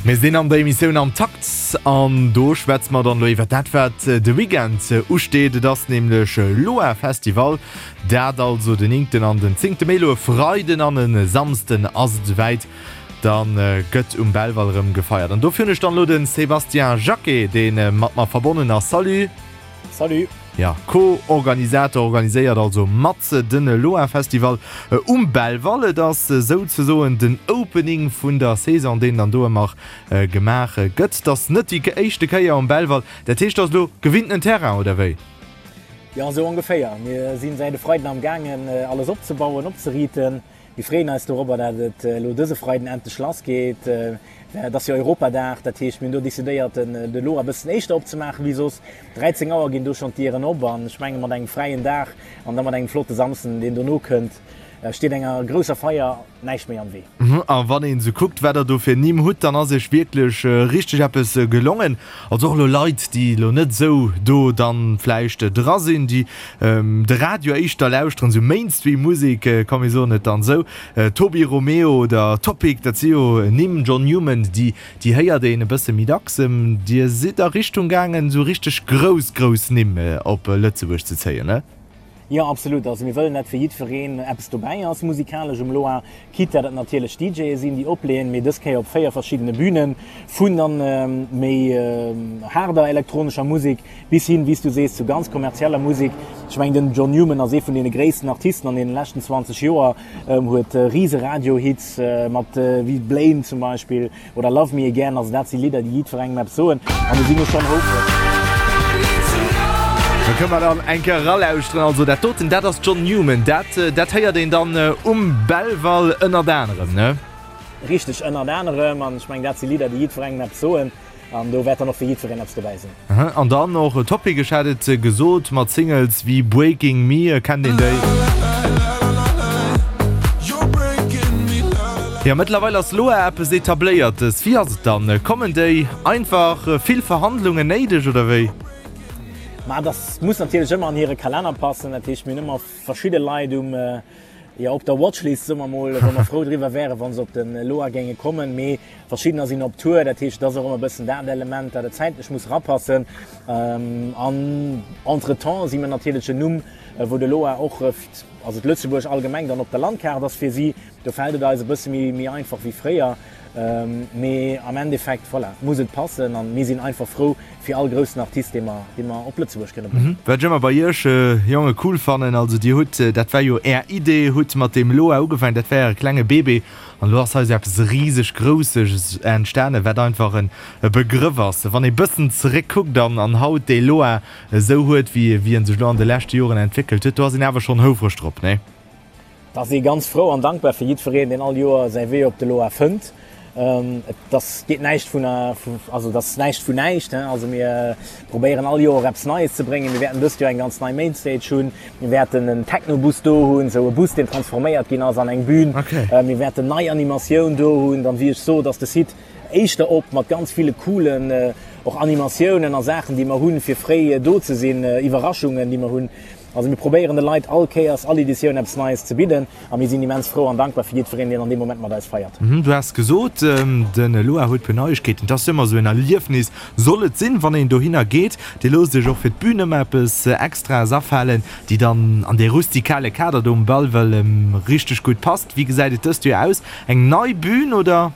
Mir sinn an der Emissioun Am Takt an do schwätze mer dann elo iwwer dat, wat de Weekend usteet. Et ass nämlech Loa Festival, dat also den néngten an den zéngte Mee, elo e Freiden an e Samsden ass et esouwäit. Da gëtt um Belval erëm gefeiert an dofir hunn ech dann elo de Sébastien Jacquet, dee mat mer verbonnen ass. Salut! Salut! Jo, Co-Organisator, organiséiert also mat den Loa Festival um Belval. Et ass souzesoen den Opening vun der Saison, deen dann do ëmmer gemaach gëtt. Et ass net déi éischte Kéier um Belval, dat heescht, et ass elo gewinntenen Terrain, oder wéi? Jo, esou ongeféier. Mir sinn säit e Freiden am gaangen alles opzebauen, opzeriiten. Mir freeën eis dorobber, dat et elo dëse Freiden endlech lass geet. Et ass jo Europadag, dat heescht mir hunn do decidéiert den elo e bëssen éischter opzemaachen wéi soss. 13 Auer ginn do schonn d'Dieren op an ech menge mat engem fräien Dag an da mat engem flotte Samsden, deen dono kënnt, steet enger grousser Feier näischt méi am Wee. A wann een esou kuckt, wat der do fir Nimm hutt, dann ass iech wierklech richteg eppes gelongen. Also och elo Leit, déi elo net esou do dann vläicht dra sinn, déi de Radio éischter lauschteren, esou Mainstream-Musek, komm mir soen et dann esou, Tobi Romeo oder Topic, dat si jo Nimm, John Newman, déi déi héiert een e bësse méi dacks. Dir sidd a Richtung gaangen, esou richteg grouss, grouss Nimm op Lëtzebuerg ze zéien, ne? Jo, absolut. Also mir wëllen dat fir jiddwereen eppes dobäi ass musikalesch um Loa, quitte dat et natierlech DJe sinn, déi opleeën, mee dës Kéier op 4 verschiddene Bünen, vun dann méi haarder elektronescher Musek bis hin, wéi s du sees, zu ganz kommerzieller Musek. Ech mengen, den John Newman ass ee vun deene gréissten Artisten an deene leschten 20 Joer, huet rise Radiohits mat wéi Blame zum Beispill. Oder Love Me Again, also dat si Lidder, déi jiddwerengem eppes soen an do si mir schonn houfreg. Da kënne mer dann eng Kéier eralauschteren. Also dat doten, dat ass John Newman, dat, dat héiert een dann um Belval ënnert anerem, ne? Richteg, ënnert anerem. An ech mengen, dat si Lidder, déi jiddwerengem eppes soen an do wäert dann och fir jiddwereen eppes dobäi sinn. An dann och Topic, ech hat et gesot, mat Singles wéi Breaking Me, kennt een déi? Jo, mëttlerweil ass Loa eppes Etabléiertes. Wéi ass et dann, kommen déi einfach? Vill Verhandlungen néideg oder wéi? Ma dass muss natierlech ëmmer an hire Kalenner passen. Dat heescht, mir hunn ëmmer verschidde Leit um jo op der Watchlist, soe mer mol, wou mer frou driwwer wären, wa se op de Loa géinge kommen. Mee Verschiddener sinn op Tour, dat heescht, et ass och ëmmer e bëssen dat Element, dat et zäitlech muss erapassen. An entretemps si mir natierlech en Numm, wou de Loa och, also d'Lëtzebuerg allgemeng dann op der Landkaart ass fir si. Do fält et eis e bësse méi einfach wéi fréier. Mee am Endeffekt, voilà, muss et passen an mir sinn einfach frou fir all groussen Artist, dee mer, dee mer op Lëtzebuerg kënne bréngen. Wat ech ëmmer bei Iech Jonge cool fannen, also Dir hutt, dat war jo Är Idee, hutt mat deem Loa ugefaangen, dat war Äre klenge Bébé An elo ass hei esou eppes riseg Grousses entstanen, wat einfach e Begrëff ass. Wann ee bëssen zeréckkuckt an an haut dee Loa esou huet, wéi wéi en sech elo an de leschte Joren entwéckelt huet, do ass een awer schonn houfreg drop, nee? Da ass ee ganz frou an dankbar fir jiddwereen, deen all Joer säi Wee op de Loa fënnt. Et ass, geet näischt vun, also et ass näischt vun näischt. Also mir probéieren all Joer eppes Neies ze bréngen. Mir wäerten dëst Joer eng ganz nei Mainstage hunn. Mir wäerten en Technobus do hunn, esou e Bus, deen transforméiert ginn ass an eng Bühn. Mir wäerten nei Animatioun do hunn. Dann, wéi ech sot, ass de Site éischter op mat ganz ville coolen och Animatiounen a Saachen, déi mer hunn, fir fréi do ze sinn, Iwwerraschungen, déi mer hunn. Also mir probéieren de Leit all Kéiers, all Editioun eppes Neies ze bidden a mir sinn immens frou an dankbar fir jiddwereen, deen an deem Moment mat eis feiert. Du has gesot, de Loa huet puer Neiegkeeten. Et ass jo ëmmer esou en Erliefnis, soll et sinn, wann een dohinner geet. Dir loosst iech och fir d'Bün ëmmer eppes Extraes afalen, déi dann an dee rustikale Kader do um Belval richteg gutt passt. Wéi gesäit et dëst Joer aus? Eng nei Bün oder?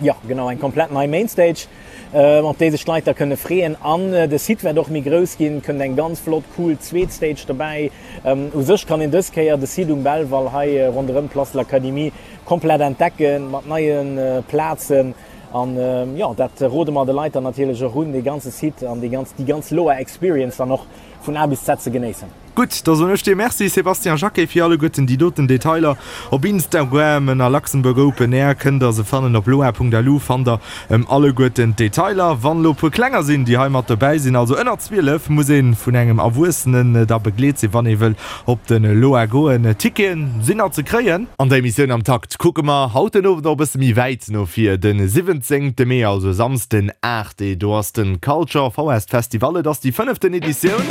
Jo, genau, eng komplett nei Mainstage, op déi sech d'Leit da kënne freeën. An de Site wäert och méi grouss ginn, kënnt eng ganz flott, cool zweet Stage dobäi. U sech kann een dës Kéier de Site um Belval hei ronderëm d'Place de l'Académie komplett entdecken, mat neie Plazen. An jo, dat rode mer de Leit dann natierlech och un, dee ganze Site an déi ganz, déi ganz Loa Experience dann och vun A bis Z ze genéissen. Gutt, da soen ech dir Merci Sébastien Jacquet fir alleguerten déi doten Detailer. Op Instagram ënner Luxembourg Open Air kënnt der se fannen, op loa.lu fannt der alleguerten d'Detailer. Wann elo puer Klenger sinn, déi hei mat dobäi sinn, also ënner 12, muss ee vun engem Erwuessenen da begleet sinn, wann ee wëll op de Loa goen. Ticketen sinn nach ze kréien. An der Emissioun Am Takt kucke mer haut den Owend och e bësse méi wäit no vir, de 17 Mee, also e Samsden Arte, do ass den Culture Forest Festival, et ass déi fënneften Editioun.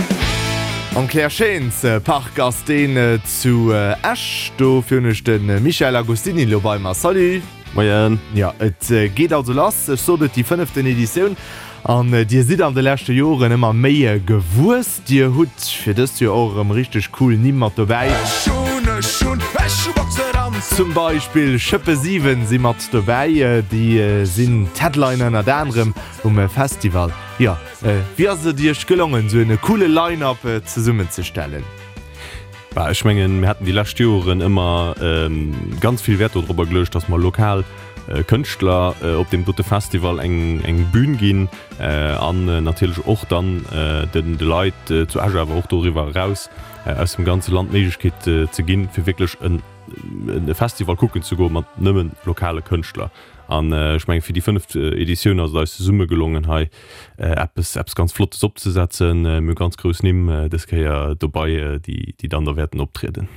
Am Claire Schéins Park ass deen zu Esch. Dofir hunn ech de Michael Agostini elo bei mer. Salut! Moien. Jo, et geet also lass. Ech sot et, déi fënneften Editioun. An dir sidd an de leschte Joren ëmmer méi gewuess. Dir hutt fir dëst Joer och erëm richteg cool Nimm mat dobäi. Zum Beispill Schëppe 7 si mat dobäi. Déi sinn d'Headliner ënnert anerem um Festival. Jo, wéi ass et iech gelongen, esou en coole Line-Up zesummenzestellen? Bah, ech mengen, mir haten déi lescht Joren ëmmer ganz vill Wäert dodrobber geluecht, dass mer lokal Kënschtler op deem dote Festival eng, eng Bühn ginn an natierlech och dann den, de Leit zu Esch awer och doriwwer eraus aus dem ganze Land d'Méiglechkeet ze ginn, fir wierklech en e Festival kucken ze goe mat nëmme lokale Kënschtler. An ech mengen, fir déi fënneft Editioun ass et eis zesumme gelongen, hei eppes, eppes ganz Flottes opzesetzen. Mir hu ganz grouss Nimm dës Kéier dobei, déi, déi dann da wäerten optrieden.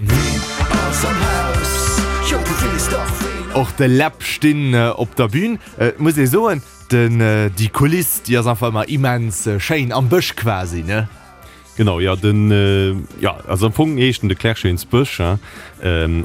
Och de Läb stinn op der Bühn. Et muss ee soen, den, déi Kuliss, déi ass einfach ëmmer immens schéin, am Bësch quasi, ne? Genau, jo, den, jo, also am Fong heescht en de Clerschénsbësch, hein,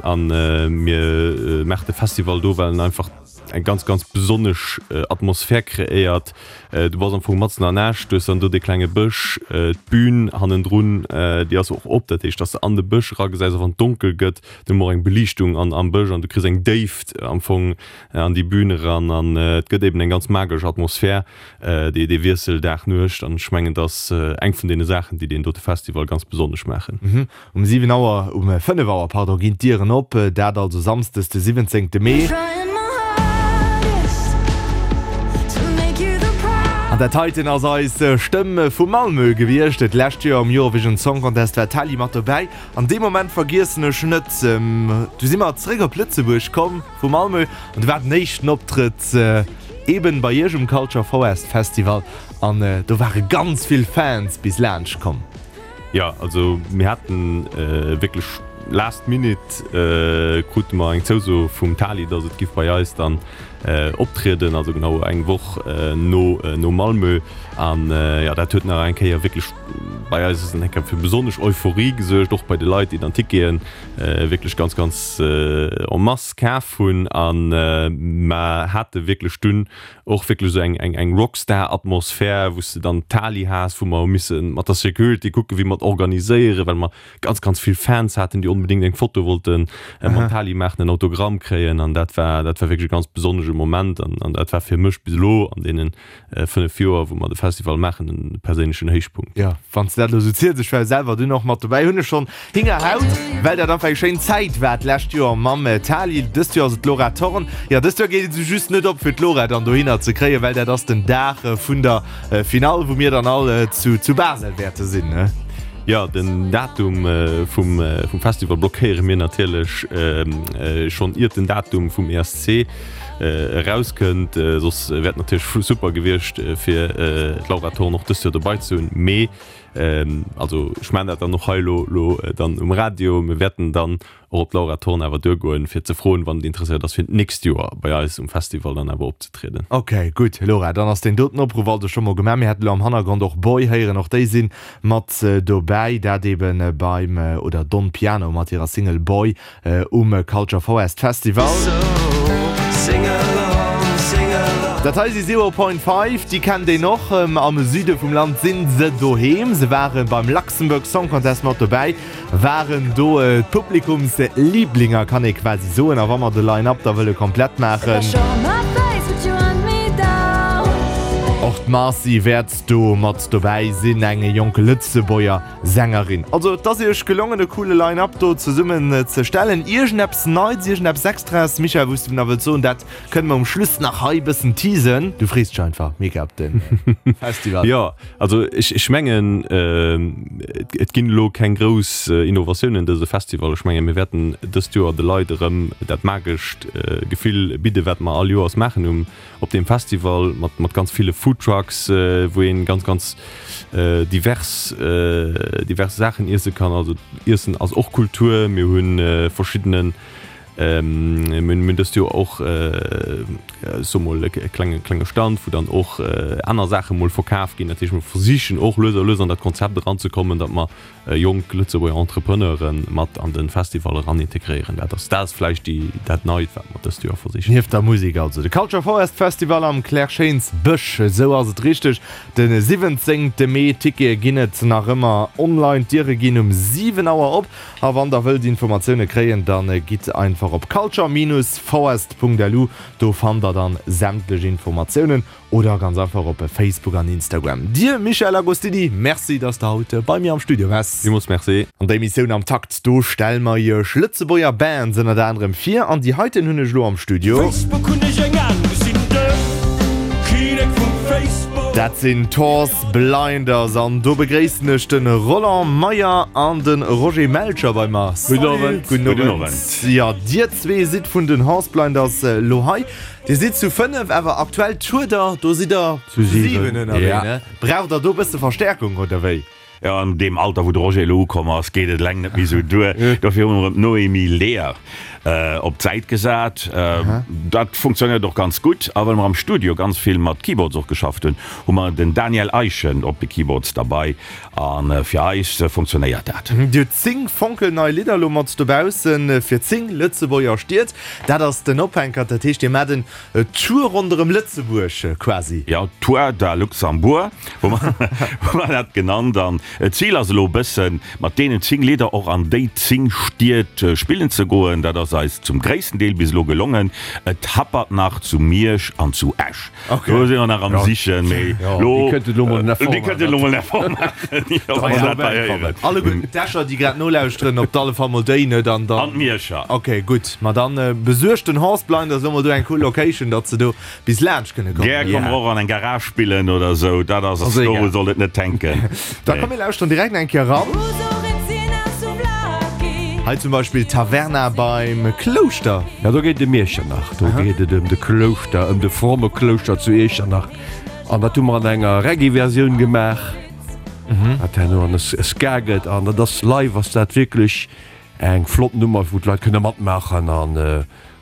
an mir maachen de Festival do, well en einfach eng ganz, ganz besonnesch Atmosphär kreéiert. Du bass am Fong matzen an Esch, du hues dann do dee klenge Bësch, d'Bün hannendrun, déi ass och op, dat heescht, dass de an de Bësch eragesäis, och wann et donkel gëtt. Du hues och eng Beliichtung an am Bësch an du kriss eng Déift am Fong an déi Bün eran an et gëtt eben eng ganz magesch Atmosphär. Dee dee Wiessel Dag-Nuecht, an ech mengen, et ass eng vun deene Saachen, déi deen dote Festival ganz besonnesch maachen. Um 7 Auer, um 5 Auer, pardon, ginn d'Dieren op, dat also Samsdes de 17 Mee. An dat heiten ass eis Stëmm vu Malmö gewiescht. D'lescht Joer um Eurovision Song Contest war d'Tali mat dobäi. An dee Moment vergiessen ech net, du si mer zeréck op Lëtzebuerg komm vu Malmö an du war den éischten Optrëtt eben bei iech um Culture Forest Festival an do ware ganz vill Fans bis laanscht komm. Jo, also mir haten wierklech last minute krute mer eng Zouso vum Tali, dass et giff bei eis dann optrieden, also genau eng Woch no no Malmö. An jo, dat huet nach eng Kéier wierklech bei eis eng Kéier fir besonnesch Euphorie gesuergt, och bei de Leit, déi dann Ticketen wierklech ganz ganz en masse kaf hunn. A mer hate wierklech dunn och wierklech esou eng eng eng Rockstar-Atmosphär, wou s de dann d'Tali has, wou mer hu misse mat der Security kucken, wéi mer et organiséieren, well mer ganz ganz vill Fans haten, déi onbedéngt eng Foto wollte mam Tali maachen, en Autogramm kréien. An dat war dat war wierklech e ganz besonnesche Moment an an dat war fir mech bis elo an deenen 5 Joer, wou mer de Festival maachen, en perséinlechen Héichpunkt. Jo, wann s de dat elo esou ziels, ech war jo selwer dunn och mat dobäi, hunn ech schonn Hingerhaut, well dat einfach eng schéin Zäit war d'lescht Joer mam Tali. Dëst Joer ass et d'Laura Thorn. Jo, dëst Joer geet et esou just net op, fir d'Laura dann dohinner ze kréien, well dat ass den Dag vun der Finall, wou mir dann all zu Basel wäerte sinn, ne? Jo, den Datum vum Festival blockéiere mir natierlech schonn iert den Datum vum ESC erauskënnt. Soss wär et natierlech super gewiescht, fir d'Laura Thorn och dëst Joer dobei ze hunn. Mee also ech maachen dat dann och hei elo dann um Radio, mir wäerten dann och op d'Laura Thorn awer duergoen, fir ze froen, wann et interesséiert ass, fir d'nächst Joer bei eis um Festival dann awer opzetrieden. Ok, gutt Laura, dann ass deen doten Opruff also scho mol gemaach. Mir hätten elo am Hannergrond och Boy héieren, och déi si mat dobäi, dat eben beim, oder Don Piano mat hirer Single Boy um Culture Forest Festival. Dat hei si Zero Point Five, déi kennt een och. Am Süde vum Land si se doheem. Se ware beim Luxembourg Song Contest mat dobäi, waren do d'Publikumsliblinger, kann ee quasi soen. A wa mer de Line-Up da wëlle komplett maachen, och d'Marcy wäert do mat dobäi sinn, eng jonk Lëtzebuerger Sängerin. Also et ass iech gelongen e coole Line-Up do zesummen ze stellen. Iergendeppes Neits, iergendeppes Extraes, Michèle, wou s de nach wëlls soen, dat kënne mer um Schluss nach hei bëssen teasen. Du frees dech einfach mega op de Festival. Jo, also ech ech mengen et ginn elo keng grouss Innovatiounen dëse Festival. Ech menge mir wäerten dëst Joer de Leit erëm dat magescht Gefill bidde wat mer all Joers maachen um Op deem Festival mat mat ganz ville Foodtrucks, wou een ganz ganz divers divers Saachen iesse kann. Also Iessen ass och Kultur. Mir hunn verschiddenen mir hunn dëst Joer och ech soe mol, e klenge klenge Stand, wou dann och aner Saache mol verkaf ginn. Dat heescht, mer versichen och lues a lues an dat Konzept eranzekommen, datt mer jonk Lëtzebuerger Entrepreneure mat an de Festival eran integréieren. Dat ass dat ass vläicht déi dat Neit, wat mer dëst Joer versichen. Nieft der Musek also de Culture Forest Festival am Claire-Schéins Bësch, esou ass et richteg, de 17 Mee. Tickete ginn et nach ëmmer online, d'Diere ginn um 7 Auer op a wann der wëllt Informatioune kréien, da gitt einfach op culture-forest.lu, do fannt der dann sämtlech Informatiounen. Oder ganz einfach op Facebook an Instagram. Dir Michel Agostini, Merci dass de haut bei mir am Studio waars. Villmools Merci. An der Emissioun Am Takt, do stelle mer iech Lëtzebuerger Bands ënnert anerem vir an déi heiten hunn ech elo am Studio. Facebook hunn ech eng Ahnung, ech sinn de Kinnek vum Facebook. Dat sinn d'Horse Blinders an do begréissen ech de Roland Meyer an de Roger Melcher bei mer. Gudden Owend. Gudden Owend. Jo, dir zwee sidd vun den Horse Blinders elo hei. Dir sidd zu 5, awer aktuell tourt der, do sidd der zu 7 ënnerwee, ne? Braucht der do e bësse Verstärkung oder wéi? Jo, an deem Alter wou de Roger elo ukomm ass, geet et eleng net méi esou duer. Dofir hu mer erëm d'Noémie Leer op d'Säit gesat. Dat funktionéiert och ganz gutt. A well mer am Studio ganz vill mat Keyboards och geschafft hunn, hu mer den Daniel Eischen op de Keyboards derbei. A fir eis funktionéiert dat. Dir hutt 10 fonkelnei Lidder elo mat dobaussen fir 10 Lëtzebuerger Stied. Dat ass den Ophänkert. Dat heescht, Dir maacht en Tour ronderëm Lëtzebuerg quasi. Jo, Tour da Luxembourg hu mer dat genannt. An d'Zil ass elo e bëssen, mat deenen 10 Lidder och an déi 10 Stied spillen ze goen. Dat ass eis zum gréissten Deel bis elo gelongen. Et happert nach zu Miersch an zu Esch. Do si mer nach am Sichen, mee lo, Déi kënnten elo mol en Effort déi kënnten elo mol en Effort maachen, jo, wa se dat hei héieren. Alleguerten d'Escher, déi grad nolauschteren, op alle Fall mol déi, net? An dann. An d'Mierscher. Ok, gutt. Ma dann besuergt den Horse Blinders elo mol do eng cool Location, datt se do bis laanscht kënne kommen. Gär komme mer och an eng Garage spillen oder esou, dat ass, doru sollt et net hänken. Da komm mir lauschteren direkt eng Kéier eran. Hei zum Beispill Taverna beim Klouschter. Jo, do geet et ëm Iechternach. Do geet et ëm de Klouschter, ëm de fromme Klouschter zu Iechternach. An dat hu mer an enger Reggae-Versioun gemaach, wat herno an e Ska gëtt. An dat ass live ass dat wierklech eng flott Nummer, wou d'Leit kënne matmaachen. An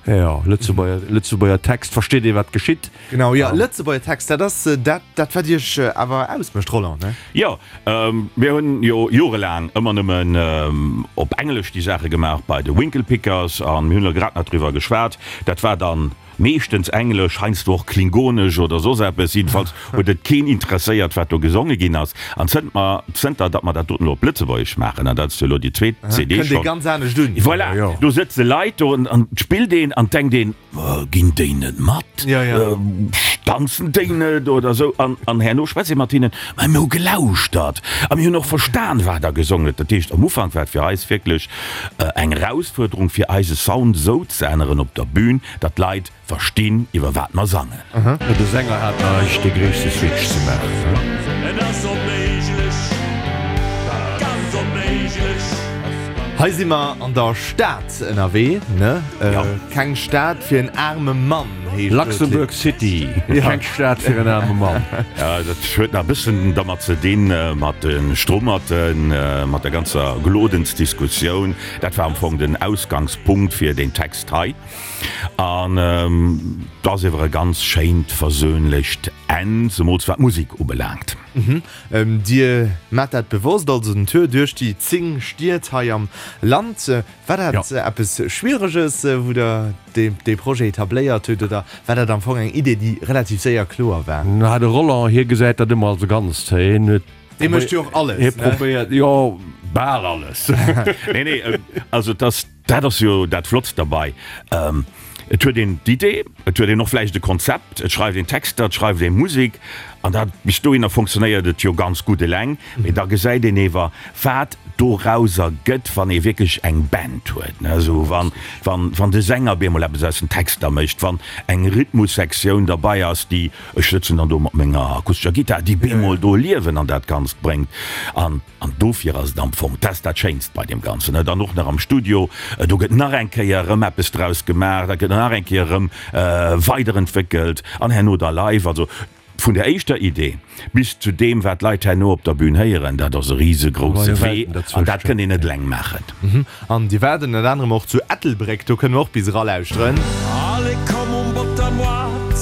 jo, Lëtzebuerger, Lëtzebuerger Text, versteet ee wat geschitt. Genau, jo, Lëtzebuerger Text, dat ass dat, dat wat Iech awer ausmécht, Roland, ne? Jo, mir hunn jo jorelaang ëmmer nëmmen op Englesch déi Saache gemaach bei de Winklepickers an mir hunn elo grad nach driwwer geschwat, dat war dann meeschtens Englesch, heiansdo och Klingonesch oder soss eppes, jiddefalls huet et keen interesséiert wat do gesonge ginn ass. An zënnt mer, zënter datt mer dat doten elo op Lëtzebuergesch maachen, an dat ass jo elo déi zweet CD Kënnt ee schonn, ganz anescht un. voilà, do sëtze Leit do an et spillt een an et denkt een, Ginn déi net mat? Danzen déi net oder esou? An herno schwätz ee mat hinnen, Mä mir hu gelauschtert a mir hunn och verstan, wat Der gesongen hutt. Dat heescht, am Ufank war et fir eis wierklech eng Erausfuerderung, fir eise Sound esou ze änneren op der Bün, datt d'Leit verstinn, iwwer wat mer sangen. De Sänger hat nach dee gréisste Switch ze maachen. Et ass onméiglech, ganz onméiglech. Hei si mer an der Stad ënnerwee, ne? Ja. Keng Stad fir en aarme Mann heescht do Luxembourg d'Lidd. City, Ja. keng Stad fir en aarme Mann. Ja, dat huet nach e bëssen dermat ze dinn, mat de Strummerten, mat der ganzer Glodensdiskussioun. Dat war am Fong den Ausgangspunkt fir deen Text hei. An et ass ewer e ganz schéint, versöhnlecht Enn, zemools wat d'Musek ubelaangt. Dir maacht dat bewosst, also den Tour duerch déi 10 Stied hei am Land. War dat eppes Schwiereges, wou Der dee Projet etabléiert hutt, oder war dat am Fong eng Idee, déi relativ séier kloer war? Na, de Roland, hie gesäit dat ëmmer als e Ganzt. Hien huet. Dee mécht jo och alles, ne? Hie probéiert, jo, bal alles. Nee, nee, also et ass. Dat ass jo dat Flottst derbei, et huet een d'Idee, et huet een och vläicht e Konzept, et schreift een Texter, et schreift ee Musek an dat bis dohinner fonctionnéiert et jo ganz gutt eleng. Mee da gesäit een ewer, wat dorauser gëtt, wann ee wierklech eng Band huet, ne, esou wann, wann, wann de Sänger op eemol eppes aus den Texter mécht, wann eng Rhythmussektioun derbei ass, déi, ech sëtzen dann do mat menger akustescher Gittar, déi bemol do Liewen an dat Ganzt bréngt an. An dofir ass et am Fong, dat ass dat Schéinst bei deem Ganzen, ne, dann och nach am Studio, do gëtt nach eng Kéier erëm eppes draus gemaach, dat gëtt nach eng Kéier erëm weiderentwéckelt an herno da live. Also vun der éischter Idee bis zu deem, wat d'Leit herno op der Bühn héieren, dat ass e risegrousse Wee an dat kënnt een net eleng maachen. An dir waart ënnert anerem och zu Ettelbréck, do kënne mer och bis eralauschteren. Allez komm um Bottermoart.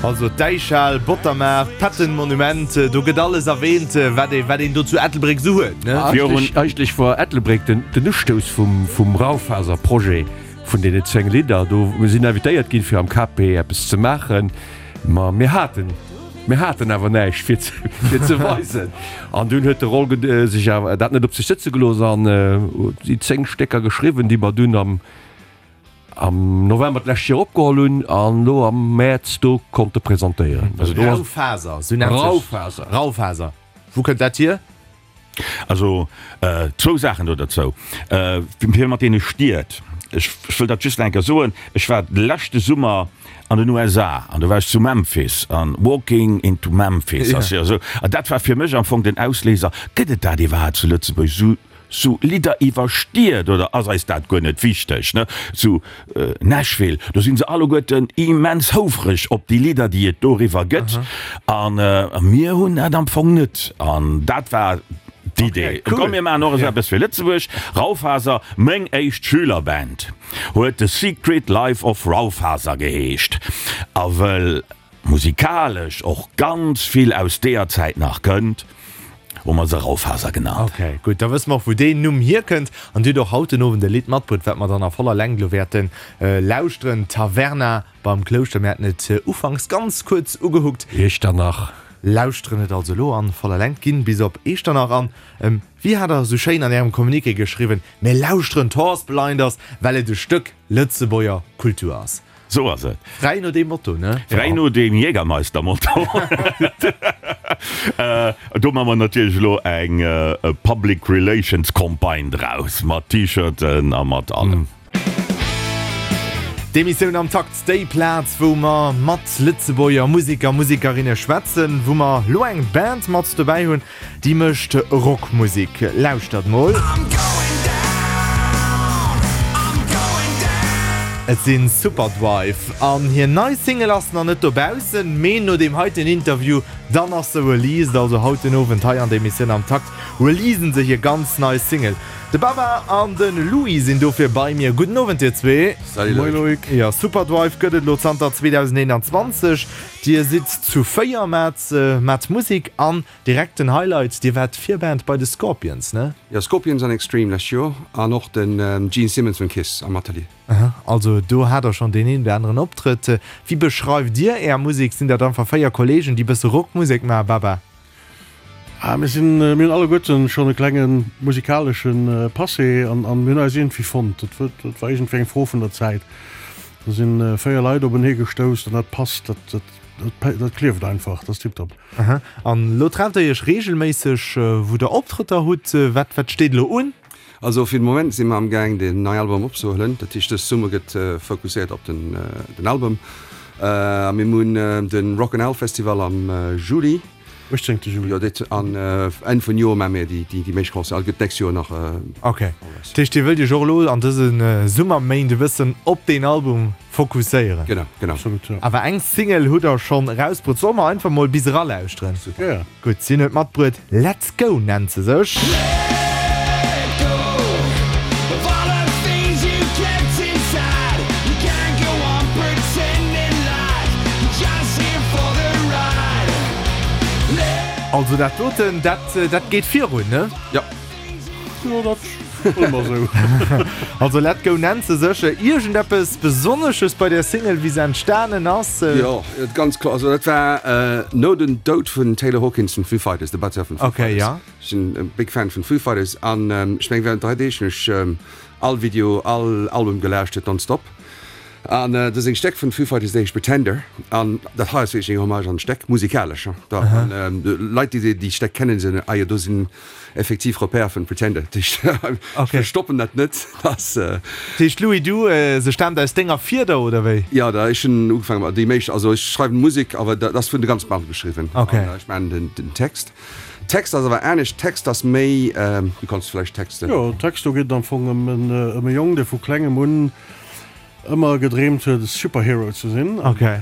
Also d'Däichhal, Bottermaart, Patton-Monument, do gëtt alles erwähnt, wat ee, wat een do zu Ettelbréck esou huet, ne? Eigentlech, eigentlech war Ettelbréck den, den Ustouss vum, vum Raufaser-Projet vun deenen 10 Lidder. Do, mir sinn invitéiert ginn, fir am KP eppes ze maachen, ma mir haten, mir haten awer näischt fir ze, fir ze weisen. An dunn huet de Roll sech awer dat net op sech sëtze gelooss an huet déi 10 Stécker geschriwwen, déi mer dunn am, am November d'lescht Joer opgeholl hunn an elo am Mäerz do konnte presentéieren. Also do ass Raufaser, sou nennt sech. Raufaser. Raufaser. Wou kënnt dat hier? Also zwou Saachen do derzou. Fir mat deene Stied, ech wëll dat just nach eng Kéier soen, ech war de leschte Summer an den USA an do war ech zu Memphis an Walking into Memphis ass jo esou, an dat war fir mech am Fong den Ausléiser, gëtt et dat iwwerhaapt zu Lëtzebuerg, esou Sou Lidder iwwer Stied, oder ass eis dat guer net wichteg, ne? Zu Nashville, do sinn se alleguerten immens houfreg op déi Lidder, déi et doriwwer gëtt. A mir hunn dat am Fong net. An dat war d'Idee. Komm, mir maachen och esou eppes fir Lëtzebuerg. Raufaser, meng éischt Schülerband huet The Secret Life of Raufaser geheescht. A wëll musikalesch och ganz vill aus deeër Zäit nach kënnt, hu mer se Raufaser genannt. Ok, gutt, da wësse mer och wou deen Numm hierkënnt. An Dir hutt och haut den Owend e Lidd matbruet, wat mer dann a voller Längt elo wäerte lauschteren, Taverna beim Klouschter. Mir haten et ufanks ganz kuerz ugehuckt. Iechternach. Lauschteren et also elo an voller Längt, ginn bis op Eechternach an, wéi hat der esou schéin an Ärem Communiqué geschriwwen, Mir lauschteren d'Horse Blinders, well et e Stëck Lëtzebuerger Kultur ass. Sou ass et. Fräi no deem Motto, ne? Fräi no deem Jägermeister-Motto. Do maache mer natierlech elo eng Public Relations Campagne draus, mat T-Shirten a mat allem. D'Emissioun Am Takt, déi Plaz, wou mer mat Lëtzebuerger Museker, Musekerinne schwätzen, wou mer elo eng Band mat dobäi hunn, Déi mécht Rockmusek. Lauschtert mol. Et sinn Superdrive an hir nei Single ass nach net dobaussen, mee no deem heiten Interview dann ass se released. Also haut den Owend hei an der Emissioun am Takt releasen se hir ganz nei Single. De Baba an de Louis sinn dofir bei mir. Gudden Owend dir zwee. Salut Moin Loïc. Jo, Superdrive gëtt et elo zanter 2021. Dir sidd zu 4 mat mat Musek an Direkt den Highlight, Dir waart Virband bei de Scorpions, ne? Jo, Scorpions an Extreme lescht Joer an och den Gene Simmons vun Kiss am Atelier. Aha, also do hat der schonn deen een oder aneren Optrëtt. Wéi beschreift Dir Är Musek? Sinn dat einfach 4 Kollegen, déi bësse Rockmusek maachen, Baba? Ah, mir sinn, mir hunn alleguerten schonn e klenge musikalesche Passé an mir hunn eis iergendwéi fonnt. Dat war iergendwéi eng Fro vun der Zäit. Do si 4 Leit openee gestouss an dat passt, dat, dat, dat klieft einfach, dat ass tiptop. Aha. An elo trefft der iech reegelméisseg, wou der Optrëtter hutt. Wat, wat steet elo un? Also fir de Moment si mer am gaang den neien Album opzehuelen. Dat heescht dës Summer gëtt fokusséiert op den, den Album. A mir hunn de Rock 'n' Owl Festival am Juli. 18. Juli. Jo, dat an Enn vun Joer maache mir déi, déi meescht Concerten. Also gëtt d'nächst Joer nach. Ok. Dat heescht dir wëllt iech och elo an dëse Summerméint e bëssen op deen Album fokusséieren? Genau, genau. Absolut, jo. Awer eng Single hutt der schonn erausbruet. Solle mer einfach mol bis eralauschteren? Super. Ja. Gutt, si huet matbruet. Let's Go nennt se sech. Also dat doten, dat, dat geet virun, ne? Jo. Jo, dat wëlle mer esou. Also Let Go nennt se sech. Iergendeppes Besonnesches bei där Single, wéi se entstanen ass? Jo, ganz kloer. Also dat war no dem Doud vun Taylor Hawkins vun Foo Fighters, de Batteur vun Foo Okay, Fighters. ja. Ech sinn e big Fan vun Foo Fighters an ech meng während 3 Deeg hunn ech all Video, all Album gelauschtert nonstop. An dat ass eng Steck vun Foo Fighters, déi heescht Pretender. An dat hei ass wierklech eng Hommage an d'Steck, musikalesch. An Leit, déi déi Steck kennen, soen, ah jo, do sinn effektiv Repère vun Pretender. Dat heescht, ech verstoppen dat net. Dat heescht, Louis, du, se staamt aus denger Fieder, oder wéi? Jo, da ech hunn ugefaange mat déi meescht, also ech schreiwen Musek, awer dat ass vun der ganzer Band geschriwwen. An ech maachen den Text. Text ass awer anescht, Text ass méi, du kanns vläicht Texte. Jo, Text, do geet et am Fong ëm e Jong, dee vu klengem un ëmmer gedreemt huet e Superhero ze sinn. Okay.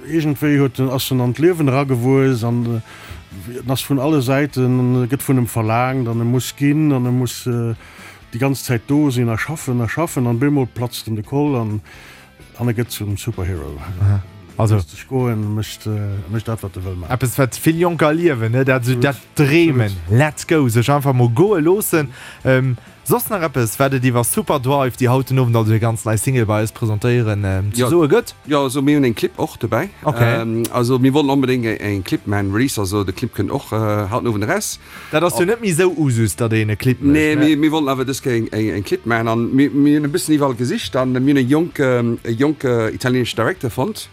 Iergendwéi huet en, ass en an d'Liewen eragewuess an en ass vun alle Säiten, gëtt vun em verlaangt an e muss ginn an e muss déi ganz Zäit do sinn a schaffen a schaffen an bemol platzt em de Koll an. An e gëtt zum Superhero. Also léisst sech goen, mécht, mécht dat, wat e wëll maachen. Eppes, wat vill Jonker erliewen, ne? Dat esou dat Dreemen, let's go, sech einfach mol goe loossen. Soss nach eppes, wat et iwwer Superdrive, déi haut den Owend also hir ganz nei Single bei eis presentéieren, ze soe gëtt? Jo, also mir hunn en Clip och dobäi. Okay. Also mir wollten onbedéngt en Clip maachen, Release, also de Clip kënnt och haut den Owend eraus. Dat ass jo net méi esou Usus, datt een e Clip mécht, Nee, mir, mir wollten awer dës Kéier eng, eng Clip maachen an mir, mir hunn e bëssen iwwerall gesicht an mir hunn e jonke, e jonke italienesche Director fonnt,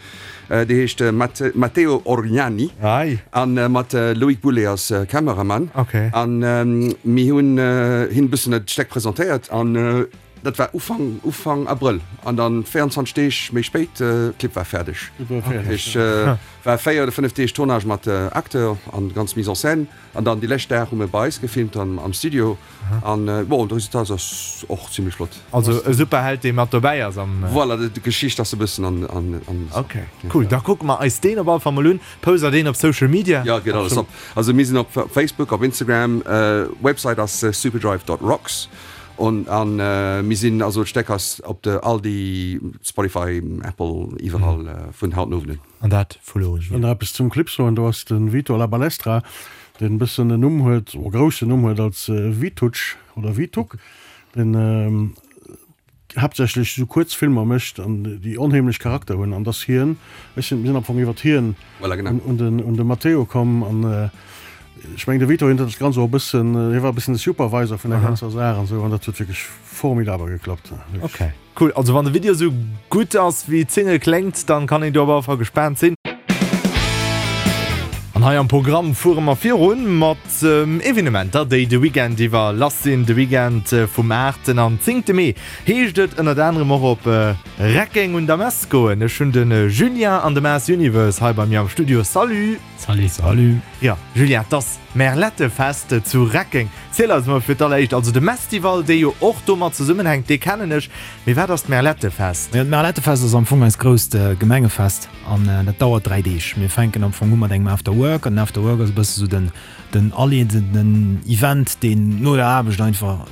dee heescht Matte, Matteo Orgnani. Ei. An mat Loïc Boulet als Kameramann. Okay. An mir hunn hien e bëssen dat Steck presentéiert an dat war Ufank, Ufank Abrëll an dann 24 Deeg méi spéit, Clip war fäerdeg. Clip war fäerdeg. Ech war 4 oder 5 Deeg Tournage mat Acteur an ganz Mise en scène. An dann déi lescht Dag hu mir bei eis gefilmt an am Studio an bon de Resultat ass och zimlech flott. Also e Superheld dee mat dobäi ass am. Voilà, d'Geschicht ass e bëssen an an. Ok cool, da kucke mer eis deen op alle Fall mol un. Post der deen op Social Media? Jo, geet alles op. Also mir sinn op Facebook, op Instagram, Website ass superdrive dot rocks an an mir sinn also d'Steck ass op de all déi Spotify, Apple, iwwerall vun haut den Owend un. An dat vu lo un. Ech wëll nach eppes zum Clip soen. Do ass de Vito La Balestra, deen e bëssen en Numm huet, o groussen Numm huet als Vitutsch oder Vituk, deen haaptsächlech esou kuerz Filmer mécht an déi onheemlech Charakter hunn. An dass hien, ech sinn, mir sinn am Fong iwwert hien un den, un de Matteo komm. An ech mengen, de Vito, hien huet dat Ganzt och e bëssen, hie war e bëssen de Supervisor vun der ganzer Saach an esou, an dat huet wierklech formidabel geklappt. Okay. Cool, also wann de Video sou gutt ass wéi d'Single kléngt, dann kann een do op alle Fall gespaant sinn. An hei am Programm fuere mer virun mat Evenementer, déi de Weekend iwwer lass sinn. De Weekend vum 8 an 10 Mee heescht et ënnert anerem och op Reckeng un der Mess goen. Ech hunn de Julien an de Maas Universe hei bei mir am Studio. Salut! Salut! Salut! Jo, Julien, 't ass Merlettefest zu Reckeng. Ziel eis mol fir d'alleréischt, also de Mestival, dee jo och domat zesummenhänkt, dee kennen ech, mee wat ass d'Merlettefest? Jo, d'Merlettefest ass am Fong eist grousst Gemengefest an dat dauert 3 Deeg. Mir fänken am Fong u mat engem After Work an den After Work ass e bësse sou den den aleedenden Event, deen no der Aarbecht einfach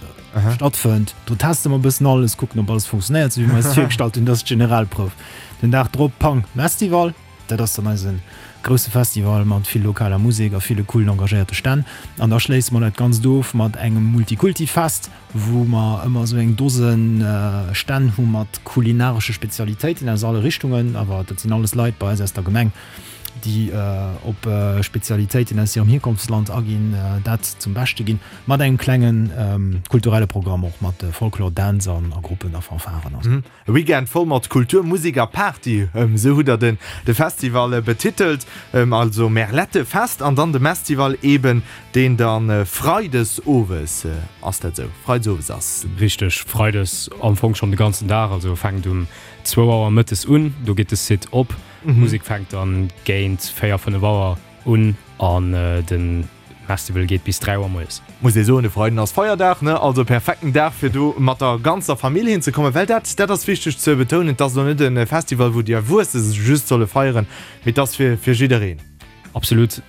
stattfënnt. Do teste mer e bëssen alles, kucken ob alles funktionéiert, sou wéi mer eis et virgestallt hunn. Dat ass d'Generalprouf. Den Dag drop, pang, Mestival. Dat ass dann eise grousse Festival mat vill lokaler Musek a ville coolen engagéierte Stänn. An da schléisse mer dat Ganzt of mat engem Multikulti-Fest, wou mer ëmmer esou eng Dose Stänn hu mat kulinaresche Spezialitéiten aus alle Richtungen. Awer dat sinn alles Leit bei eis aus der Gemeng, déi op Spezialitéiten aus hirem Hierkonftsland aginn, dat zum Beschte ginn, mat engem klenge kulturelle Programm och mat Folklore, Dänz a Gruppen a Fanfaren. E Weekend voll mat Kultur, Musek a Party, esou hutt der den de Festival betitelt. Also Merlette Fest an dann de Mestival eben, deen dann Freides owes, ass dat esou? Freides owes ass. Richteg, Freides am Fong schonn de ganzen Dag, also fänkt um zwou Auer mëttes un, do geet de Site op. D'Musek fänkt dann géint 4, 5 Auer un an den Festival geet bis 3 Auer moies. Muss ee soen, de Freiden ass Feierdag, ne? Also perfekten Dag fir do mat der ganzer Famill hinzekommen, well dat, dat ass wichteg ze betounen, et ass elo net e Festival wou déi Erwuesse just solle feieren, mee et ass fir fir jiddereen. Absolut,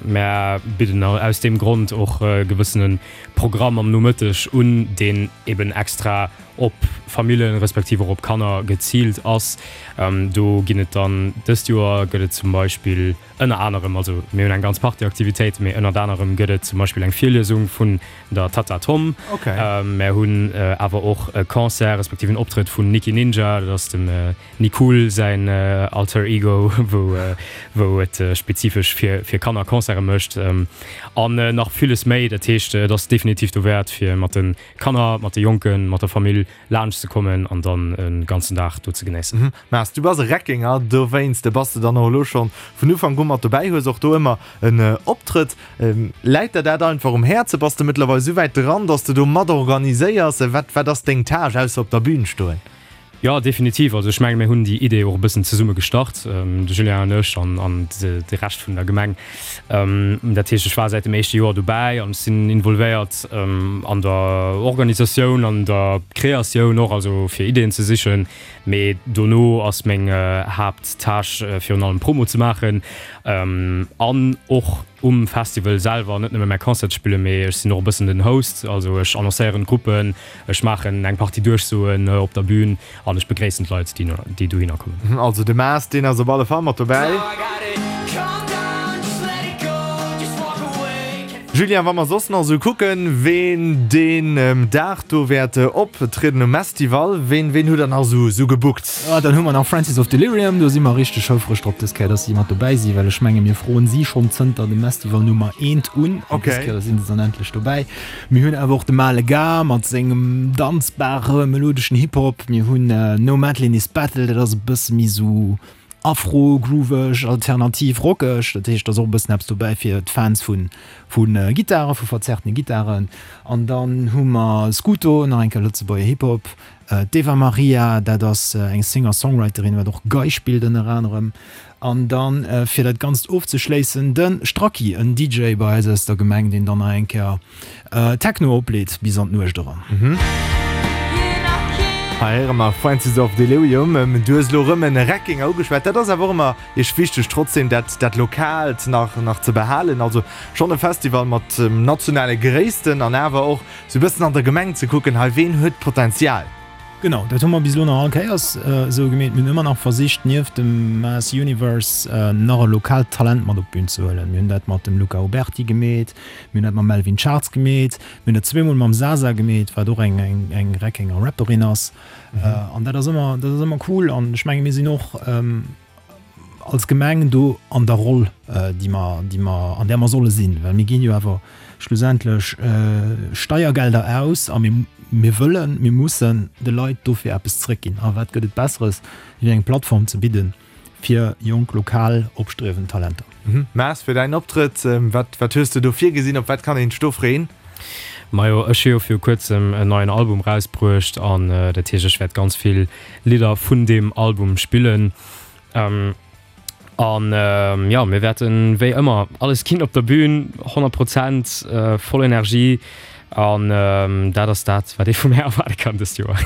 mär bidden aus deem Grond och e gewëssene Programm am Nomëtteg un, deen eben extra op Famillen, respektiv och op Kanner geziilt ass. Do ginn et dann, dëst Joer gëtt et zum Beispill, Ënner anerem, also mir hunn eng ganz Partie Aktivitéiten, mee ënnert anerem gëtt et zum Beispill eng Virliesung vun der Tatta Tom. Mär hunn awer och e Concert respektiv en Optrëtt vun Nikki Ninja, dat ass dem Nicool säin Alter Ego, wou wou et spezifesch fir fir Kanner Concerte mécht an nach villes méi. Dat heescht, et ass definitiv dowäert fir mat de Kanner, mat de Jonken, mat der Famill laanscht ze kommen an dann e ganzen Dag do ze genéissen. Mars, du bass e Reckenger, dowéinst bass de dann och elo schonn vun Ufank u mat dobäi, hues och do ëmmer en Optrëtt. Läit der dat einfach um Häerze? Bass de mëttlerweil esou wäit dran, dass de do mat organiséiers? Wat, wat ass deng Tâche, ausser op der Bühn stoen? Jo, definitiv. Also ech menge mir hunn déi Idee och e bëssen zesumme gestart, de Julien an ech an an de Rescht vun der Gemeng. Dat heescht, ech war säit dem éischte Joer dobäi an ech sinn involvéiert an der Organisatioun, an der Kreatioun och, also fir Ideeën ze sichen. Mee dono ass meng Haapttâche virun allem Promo ze maachen an och. um Festival selwer net nëmme mäi Concert spillen, mee ech sinn och e bëssen den Host, also ech annoncéieren d'Gruppen, ech maachen eng Partie Duerchsoen op der Bühn an ech begréissen d'Leit, déi dohinner kommen. Also de Maas, deen ass op alle Fall mat dobäi. Julien, wa mer soss nach esou kucken, ween deen Dag do wäert optrieden um Mestival, ween, ween hutt der nach esou, esou gebookt? Ah, dann hu mer nach Francis of Delirium, do si mer richteg houfreg drop dës Kéier, dass si mat dobäi si, well ech menge mir froen si schonn zënter dem Mestival Nummer eent un, an dës Kéier si se dann endlech dobäi. Mir hunn awer och de Male Gars mat sengem danzbare melodeschen Hip-Hop, mir hunn No Madeline is Battle, dat ass e bësse méi esou Afro, grooveg, alternativ, rockeg, dat heescht, et ass och e bëssen eppes dobäi fir d'Fans vu vu Gittaren, vu verzerrtene Gittaren. An dann hu mer Scooto, nach eng Kéier Lëtzebuerger Hip-Hop, d'Eva Marija, dat ass eng Singer-Songwriterin, wat och Gei spillt ënner anerem. An dann, fir dat Ganzt ofzeschléissen, de Stracki, en DJ bei eis aus der Gemeng, deen dann nach eng Kéier Techno opleet bis an d'Nuecht eran. Hei héiere mer Francis of Delirium. Du hues elo erëm en Reckinger ugeschwat. Dat ass awer och ëmmer iech wichteg, trotzdem dat, dat Lokaalt nach, nach ze behalen. Also schonn e Festival mat nationale Gréissten an awer och sou e bëssen an der Gemeng ze kucken, hei ween huet Potenzial. Genau, dat hu mer bis elo nach all Kéiers esou gemeet. Mir hunn ëmmer nach versicht, nieft dem Mass Universe nach e lokaalt Talent mat op d'Bün ze huelen. Mir hunn dat mat dem Luca Uberti gemeet, mir hunn dat mam Melvin Schartz gemeet, mir hunn dat zweemol mam Sasa gemeet, wat och eng eng Reckenger Rapperin ass. An dat ass ëmmer, dat ass ëmmer cool. An ech menge mir sinn och als Gemeng do an der Roll, déi mer, déi mer, an där mer solle sinn, well mir ginn jo awer schlussendlech Steiergelder aus a mir, mir wëllen, mir mussen de Leit dofir eppes zrëckginn. A wat gëtt et Besseres, wéi eng Plattform ze bidden fir jonk, lokal opstriewend Talenter. Maas, fir däin Optrëtt, wat, wat hues de do virgesinn, op wat kann een sech do freeën? Majo, ech hu jo viru kuerzem en neien Album rausbruecht an dat heescht, ech wäert ganz vill Lidder vun deem Album spillen. An jo, mir wäerten wéi ëmmer alles ginn op der Bühn, 100 Prozent, voll Energie an dat ass dat, wat ee vu mär erwaarde kann dëst Joer.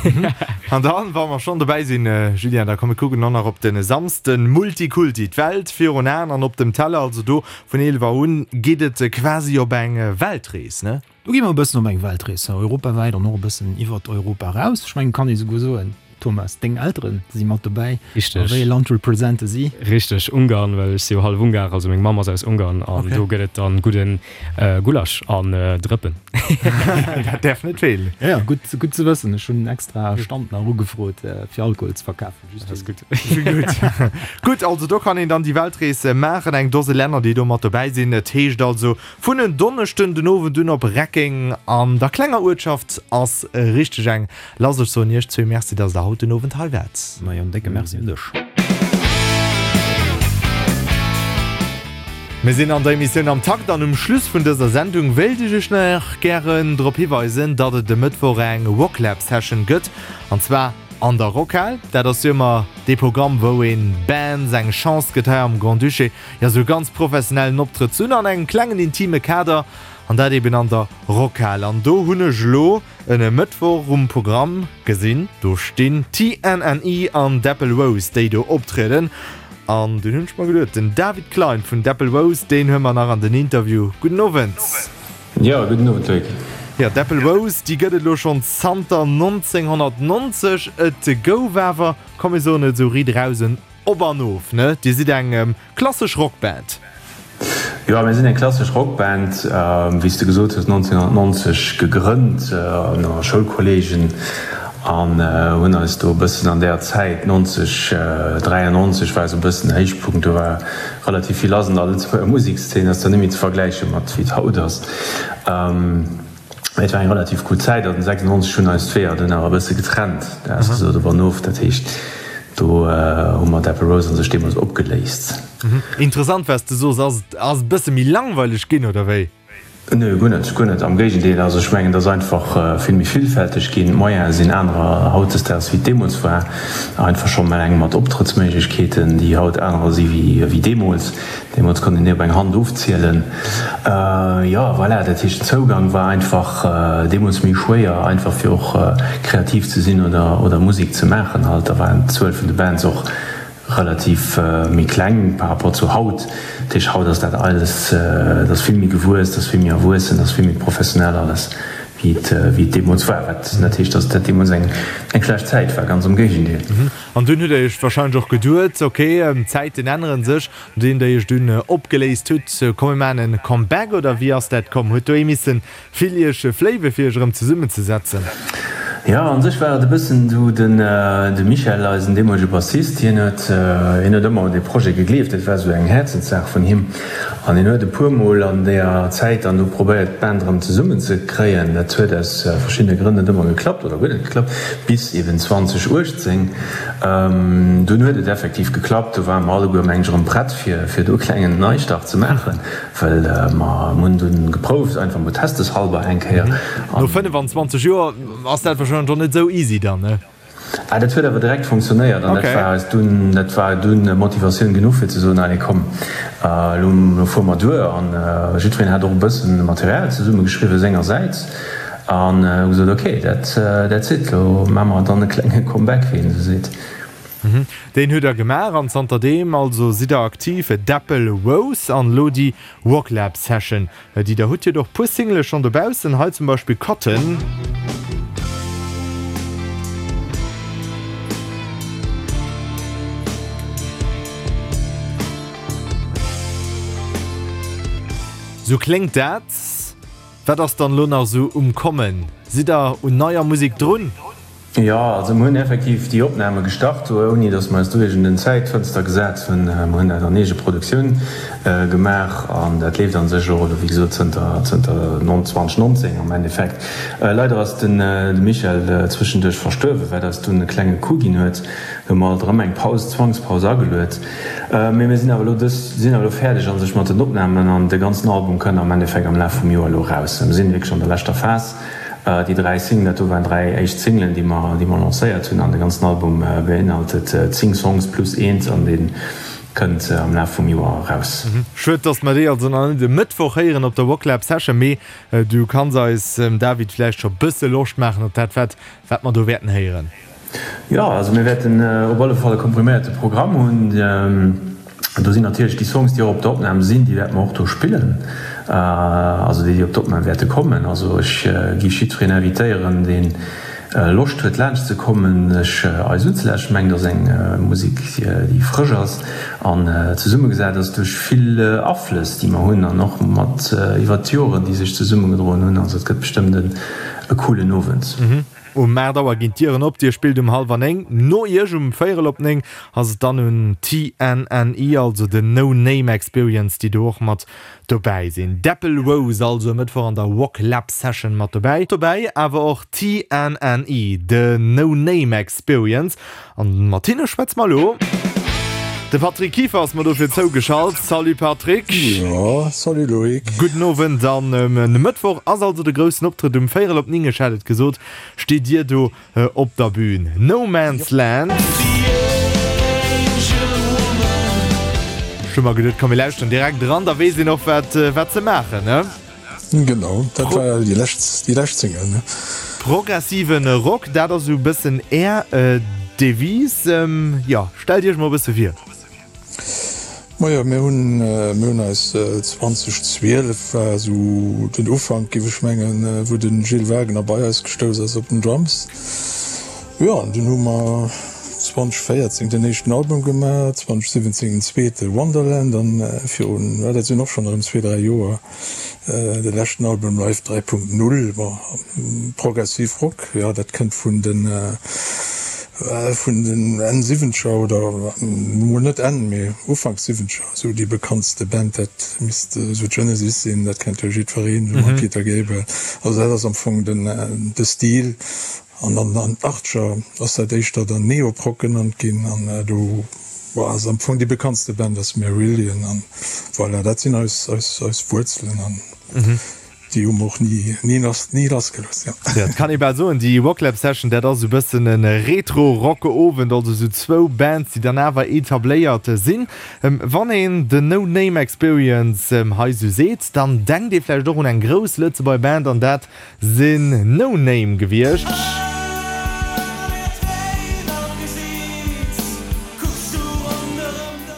An dann, wa mer schonn dobäi sinn, Julien, da komm mir kucken och nach op de Samsden, Multikulti, d'Welt virun Aen an op dem Teller, also do vun 11 Auer un geet et quasi op eng Weltrees, ne? Do gi mer e bëssen op eng Weltrees, europawäit an och e bëssen iwwert Europa eraus. Ech mengen, kann ee souguer soen, Thomas, deng Eltere si mat dobäi. Richteg. A wéi ee Land represente si? Richteg, Ungarn, well ech si jo hallef Ungar, also meng Mamm ass aus Ungarn an do gëtt et dann gudde Gulasch an Drëppen. Dat däerf net feelen. Jo, jo, gutt, gutt ze wëssen. Ech hunn extra Stand nach ugefrot, fir Alkohol ze verkafen. Just Dat ass gutt. Gutt. Gutt, also do kann een dann déi Weltrees maachen. Eng Dose Länner, déi do mat dobäi sinn. Et heescht also Vun en Donneschden den Owend un op Reckeng an der klenger Uertschaft ass richteg eng lass. Ech soen iech zwee Merci, dass der haut den Owend hei waart. Majo, en décke Merci un dech. Mir sinn an der Emissioun Am Takt an um Schluss vun dëser Sendung wéilt ech iech nach gären drop hiweisen, datt et e Mëttwoch eng Rocklab Session gëtt an zwar an der Rockhal. Dat ass jo ëmmer dee Programm wou een Bands eng Chance gëtt hei am Grand-Duché jo sou ganz professionellen Optrëtt ze hunn an engem klengen intime Kader an dat eben an der Rockhal. An do hunn ech elo en Mëttwoch um Programm gesinn, do stinn TNNE an Dapple Rose déi do optrieden. An dunn hunn ech mer geduet, den David Klein vun Dapple Rose, deen huele mer nach an den Interview. Gudden Owend. Jo, gudden Owend Loïc. Jo, Dapple Rose, déi gëtt et elo schonn zanter 1990. Et gouf awer, komm mir soen et esou riit eraus, en Op an of, ne? Dir sidd eng klassesch Rockband. Jo, mir sinn eng klassesch Rockband, wéi s de gesot hues, 1990 gegrënnt ënner Schoulkolleegen an hunn eis do e bëssen an där Zäit, 90, 93 war esou e bëssen Héichpunkt, do war relativ vill lass an der Lëtzebuerger Musekszeen, ass zwar net méi ze vergläiche mat wéi et haut ass. Et war eng relativ gutt Zäit an 96 hunn eis d'Weeër dunn awer e bësse getrennt, dat ass gesot op an of. Dat heescht, do hu mer d'Apple Rose a sech deemools opgeléist. Interessant wat s de soos. Ass et ass e bësse méi langweileg ginn oder wéi? Nö, guer net, guer net. Am Géigendeel, also ech mengen, et ass einfach vill méi villfälteg ginn. D'Moyene sinn anerer hautdesdaags wéi et deemools war. Einfach schonn eleng mat Optrëttsméiglechkeeten, déi haut anerer si wéi deemools. Deemools konnt een déi op eng Hand ofzielen. Jo, voilà, dat heescht den Zougang war einfach deemools méi schwéier, einfach fir och kreativ ze sinn oder oder Musek ze maachen halt. Da waren d'Zuel vun de Bands och relativ méi kleng par rapport zu haut. Dat heescht, haut ass dat alles, et ass vill méi gewuess, et ass vill méi erwuessen, et ass vill méi professionell alles, wéi et, wéi et deemools war. Wat net heescht, datt dat deemools eng, eng schlecht Zäit war, ganz am Géigendeel. An dunn hutt Der Iech wahrscheinlech och geduet, ok, d'Zäiten ännere sech, nodeem Der Iech dunn opgeléist hutt, komm mir maachen e Comeback, oder wéi ass dat komm? Huet do ee missen Vill Iech fléiwe fir Iech erëm zesummen ze setzen. Jo, an sech war et e bëssen esou, den de Michel, eisen deemolege Bassist, hien huet hien huet ëmmer un dee Projet gegleeft, dat war esou eng Häerzenssaach vun him an hien huet e puer Mol an deeër Zäit dann do probéiert d'Band erëm zesummen ze kréien. Dat huet aus verschiddene Grënn net ëmmer geklappt oder guer net geklappt, bis eben 2018, dunn huet et effektiv geklappt, do ware mer alleguer meng ech erëm prett fir fir do e klengen Neistart ze maachen. Well mer hunn dunn geprouft, einfach mol testeshalber eng Kéier. No 25 Joer ass dat wahrscheinlech och net esou easy dann, ne? Ah, dat huet awer direkt funktionéiert an dat war eis dunn, dat war dunn Motivatioun genuch fir ze soen, allez komm, elo fuere mer duer. An jiddwereen hat och e bëssen Material zesummegeschriwwe sengersäits an hu gesot, ok, dat, that's it, elo maache mer dann e klenge Comeback, wéi een esou seet. Deen hutt der gemaach an zanter deem also sidd der aktiv. Däppel Rose an elo déi Rocklab Session déi der hutt. Dir hutt och puer Singele schonn dobaussen, hei zum Beispill Cotton. Sou kléngt dat. Wat ass dann elo nach sou um kommen? Sidd der un neier Musek drun? Jo, also mir hunn effektiv déi Opname gestart, ouni datt mer eis do iergend en Zäitfënster gesat hunn. Mir hunn dat an Eegeproduktioun gemaach an dat leeft a sech och elo, wéi gesot, zënter zënter 2019 am Endeffekt. Leider ass den de Michel zwëschenduerch verstuerwen, wat eis dunn e klenge Coup ginn huet. Do hu mer alt erëm eng Paus, Zwangspaus ageluet. Mee mir sinn awer elo dës, sinn awer elo fäerdeg a sech mat den Opnamen an de ganzen Album kënn am Endeffekt am Laf vum Joer elo eraus. Mir sinn wierklech an der leschter Phas. Déi 3 Singlen, dat do waren 3 éischt Singlen, déi mer, déi mer lancéiert hunn an de ganzen Album beinhaltet 10 Songs plus eent an dee kënnt am Laf vum Joer eraus. Schued, dass mer déi also nach net e Mëttwoch héieren op der Rocklab Session, mee du kanns eis, David, vläicht scho bësse Loscht maachen op dat, wat, wat mer do wäerten héieren. Jo, also mir wäerten op alle Fall e kompriméierte Programm hunn. Do sinn natierlech déi Songs, déi och op der Opnam sinn, déi wäerte mer och do spillen, also déi, déi op d'Opnam wäerte kommen. Also ech géif jiddwereen invitéieren, dee Loscht huet laanscht ze kommen, sech eis unzelauschteren. Ech mengen, et ass eng Musek, déi frësch ass an zesummegesat ass duerch vill Aflëss, déi mer hunn an och mat iwwert d'Joren, déi sech zesummegedroen hunn. Also et gëtt bestëmmt e coolen Owend. Um 8 Auer ginn d'Dieren op, Dir spillt um hallwer 9. No Iech um véierel op 9 ass et dann un TNNE, also den No Name Experience, déi do och mat dobäi sinn. Däppel Rose also e Mëttwoch an der Rock Lab Session mat dobäi. Dobäi awer och TNNE, The No Name Experience. An mat hinne schwätze mer elo. De Patrick Kieffer ass mer dofir zougeschalt. Salut Patrick. Jo, salut Loïc. Gudden Owend. An e Mëttwoch ass also de groussen Optrëtt um véierel op 9, ech hat et gesot, steet Dir do op der Bühn. No Man's Land. Ech hu mer geduet, komm mir lauschteren direkt eran, da weess een och wat wat se maachen, ne? Genau, dat war déi lescht, déi lescht Single, ne? Progressiven Rock, dat ass esou e bëssen Är Devise. Jo, stellt Iech mol e bësse vir. Majo, mir hunn, mir hunn eis 2012 war esou den Ufank, géif ech mengen, wou de Gilles Wagner bei eis gestouss ass op den Drums. Jo, an dunn hu mer 2014 den éischten Album gemaach, 2017 den zweete Wonderland an virun, dat sinn och schonn erëm zwee, dräi Joer, De leschten Album Live 3.0, bon, progressiv Rock, jo, dat kënnt vun den, vun den Enn Siwwenzeger oder mol net Enn, mee Ufank Siwwenzeger, esou déi bekanntste Band, dat misst esou Genesis sinn, dat kennt jo jiddwereen, esou mam Peter Gabriel. Also dat ass am Fong den, de Stil. An an den Achtscher ass dat éischter dann Neoprog genannt ginn an do ass am Fong déi bekanntste Band ass Marillion an voilà, dat sinn eis eis eis Wuerzelen an déi hu mer och ni ni lass ni lassgelooss, jo. Jo, et kann ee bal soen, déi Rocklab Session, dat ass esou bëssen e Retro-Rock-Owend, also esou zwou Bands, déi dann awer etabléiert sinn. Wann een The No Name Experience hei esou seet, dann denkt ee vläicht och un eng grouss Lëtzebuerger Band an dat Sinn No Name gewiescht.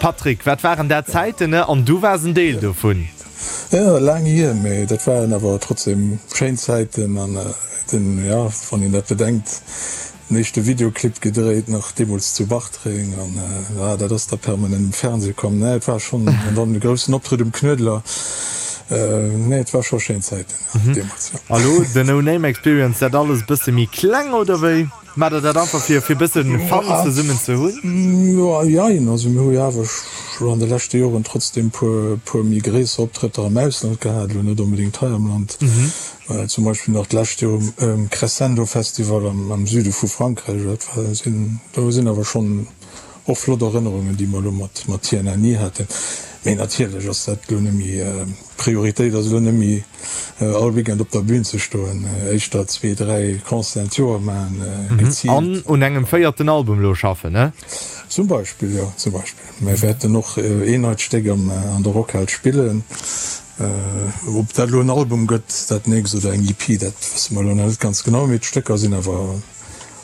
Patrick, wat waren dat Zäiten, ne? An du waars en Deel dovun. Jo, laang hier, mee dat waren awer trotzdem schéin Zäiten an den, jo, wann een dat bedenkt, den éischte Videoclip gedréit nach deemools zu Bartreng an jo, dat ass da permanent um Fernseh komm. Nee, et war schonn, an dann de groussen Optrëtt um Knuedler, nee, et war scho schéin Zäiten deemools, jo. A lo The No Name Experience, dat alles e bësse méi kleng, oder wéi? Maacht der dat einfach fir fir bëssen Fun zesummen ze hunn? Jo, jein. Also mir hu jo awer scho an de leschte Joren trotzdem puer puer méi gréisser Optrëtter am Ausland gehat, elo net onbedéngt hei am Land. Zum Beispill nach d'lescht Joer um Crescendo Festival am am Süde vu Frankräich. Dat war sinn do sinn awer schonn och flott Erënnerungen, déi mer elo mat mat TNNI haten. Mee natierlech ass dat elo net méi. D'Prioritéit ass elo net méi all Weekend op der Bühn ze stoen, éischter zwee, dräi Concerten d'Joer maachen, geziilt. An un engem véierten Album elo schaffen, ne? Zum Beispill, jo, zum Beispill. Mir wäerten och een neit Stéck an der Rockhal spillen. Ob dat elo en Album gëtt dat nächst oder eng EP, dat wësse mer elo nach net ganz genau, mee d'Stécker sinn awer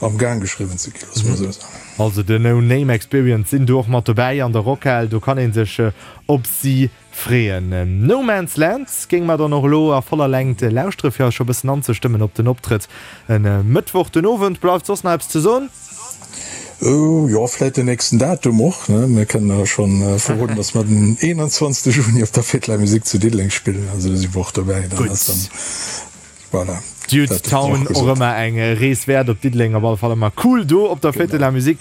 am Gaang geschriwwen ze ginn, loosse mer esou soen. Also The No Name Experience sinn do och mat dobäi an der Rockhal, do kann ee sech op si Freeën. No Man's Land géinge mer dann och elo a voller Längt lauschtere fir eis scho bëssen anzestëmmen op den Optrëtt e Mëttwoch den Owend. Bleift soss nach eppes ze soen? Jo, vläit den nächsten Datum och, ne? Mir kënnen jo schonn verroden, dass mer den 21. Juni op der Fête de la Musique zu Diddeleng spillen. Also do si mer och dobäi. Dann ass dann, voilà, Dude dat Town och och gesot. ëmmer eng Rees wäert op Diddeleng, op alle Fall ëmmer cool do op der Fête de la Musique.